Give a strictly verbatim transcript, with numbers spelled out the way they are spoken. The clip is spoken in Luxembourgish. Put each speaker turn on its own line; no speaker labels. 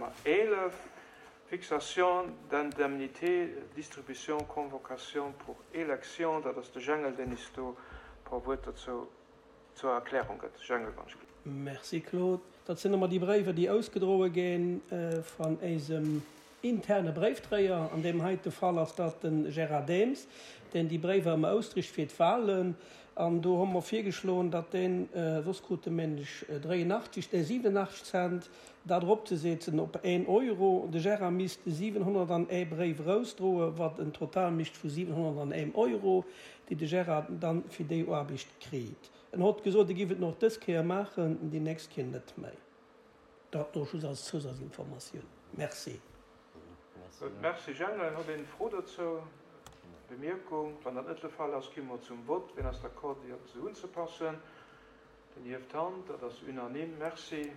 Nummer eelef, Fixation d'indemnités, distribution, convocation pour élection. Dat ass de Jengel, deen is do e puer Wuert dozou zur Erklärung gëtt. Jengel, wann ech.
Merci Claude. Dat sinn ëmmer déi Bréiwer, déi ausgedroe ginn van eisem interne Bréifdréier. An deem heite Fall ass dat de Gérard Daems, deen déi Bréiwer ëmmer ausdricht fir d'Wahlen. An do hu mer virgeschloen, datt deen, soss krut e nämlech dräienachtzeg, nee siwenenachtzeg Cent, dat eropzesetzen op een Euro. De Gérard misst siwenhonnertanee Bréif erausdroen, wat en Total mécht vu siwenhonnertaneem Euro, déi de Gérard dann fir déi Aarbecht kritt. En hott gesot, e giff et nach dës Kéier maachen, déi nächst Kéier net méi. Dat do just als Zousazinformatioun. Merci.
Gutt, merci Jengel. Huet een Fro dozou, Bemierkung? Wann dat net de Fall ass, gi mer zum Vott. Wien ass d'accord, déi esou unzepassen? Deen hieft d'Hand. Dat ass unanime. Merci.